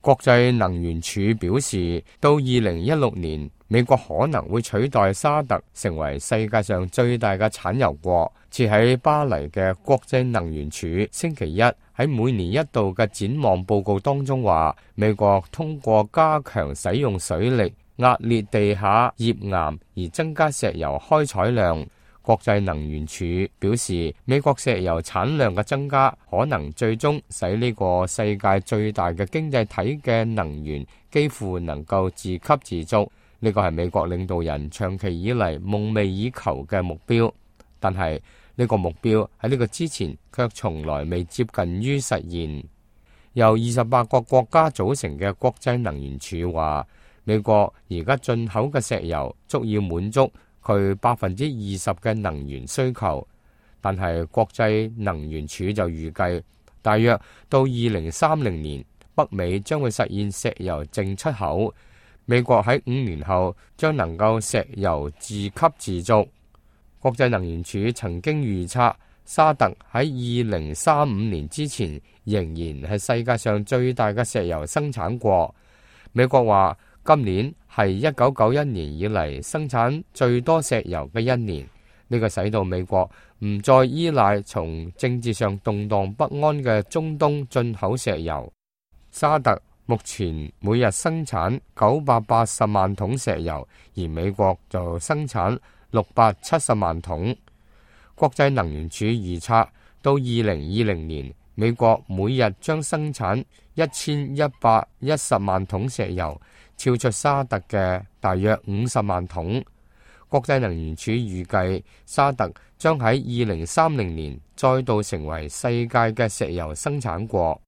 國際能源署表示，到2016年，美國可能會取代沙特成為世界上最大嘅產油國。設喺巴黎嘅國際能源署星期一喺每年一度嘅展望報告當中話，美國通過加強使用水力壓裂地下頁岩而增加石油開採量。國際能源署表示，美國石油產量嘅增加可能最終使呢個世界最大嘅經濟體嘅能源幾乎能夠自給自足。呢個係美國領導人長期以嚟夢寐以求嘅目標，但係呢個目標喺呢個之前卻從來未接近於實現。由28個國家組成嘅國際能源署話，美國而家進口嘅石油足以滿足佢20%嘅能源需求，但係國際能源署就預計，大約到2030年，北美將會實現石油淨出口。美國喺5年後將能夠石油自給自足。國際能源署曾經預測，沙特喺2035年之前仍然係世界上最大嘅石油生產國。美國話，今年係1991年以嚟生產最多石油嘅一年，呢個使到美國唔再依賴從政治上動盪不安嘅中東進口石油。沙特目前每日生產980萬桶石油，而美國就生產670萬桶。國際能源署預測，到2020年，美國每日將生產1110萬桶石油，超出沙特嘅大約50萬桶。國際能源署預計，沙特將喺2030年再度成為世界嘅石油生產國。